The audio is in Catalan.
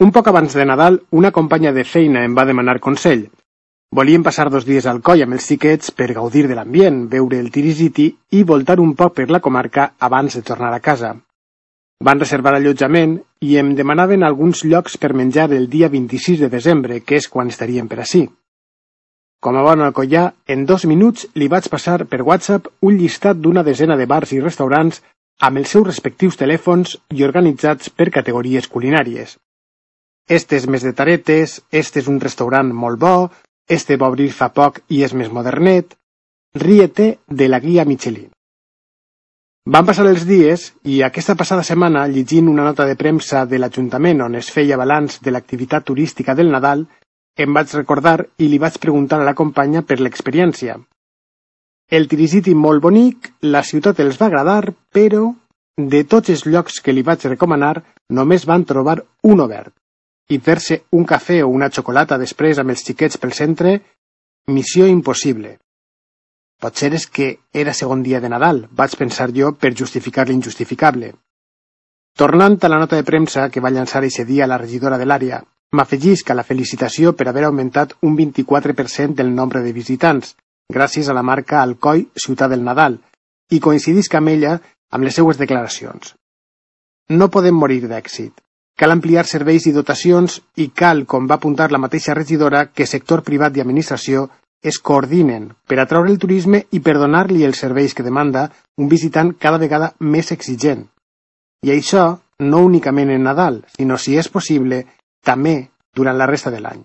Un poc abans de Nadal, una companya de feina em va demanar consell. Volíem passar 2 dies al Coll amb els xiquets per gaudir de l'ambient, veure el Tirisiti i voltar un poc per la comarca abans de tornar a casa. Van reservar allotjament i em demanaven alguns llocs per menjar el dia 26 de desembre, que és quan estaríem per ací. Com a bon alcoià, en 2 minuts li vaig passar per WhatsApp un llistat d'una desena de bars i restaurants amb els seus respectius telèfons i organitzats per categories culinàries. Este és més de taretes, este és un restaurant molt bo, este va obrir fa poc i és més modernet. Ríete de la guia Michelin. Van passar els dies i aquesta passada setmana, llegint una nota de premsa de l'Ajuntament on es feia balanç de l'activitat turística del Nadal, em vaig recordar i li vaig preguntar a la companya per l'experiència. El Tirisiti molt bonic, la ciutat els va agradar, però de tots els llocs que li vaig recomanar només van trobar un obert. I fer-se un cafè o una xocolata després amb els xiquets pel centre, missió impossible. Potser és que era segon dia de Nadal, vaig pensar jo per justificar l'injustificable. Tornant a la nota de premsa que va llançar eixe dia la regidora de l'àrea, m'afegisc a la felicitació per haver augmentat un 24% del nombre de visitants, gràcies a la marca Alcoi Ciutat del Nadal, i coincidisc amb ella amb les seues declaracions. No podem morir d'èxit. Cal ampliar serveis i dotacions i cal, com va apuntar la mateixa regidora, que sector privat i administració es coordinen per atraure el turisme i per donar-li els serveis que demanda un visitant cada vegada més exigent. I això no únicament en Nadal, sinó, si és possible, també durant la resta de l'any.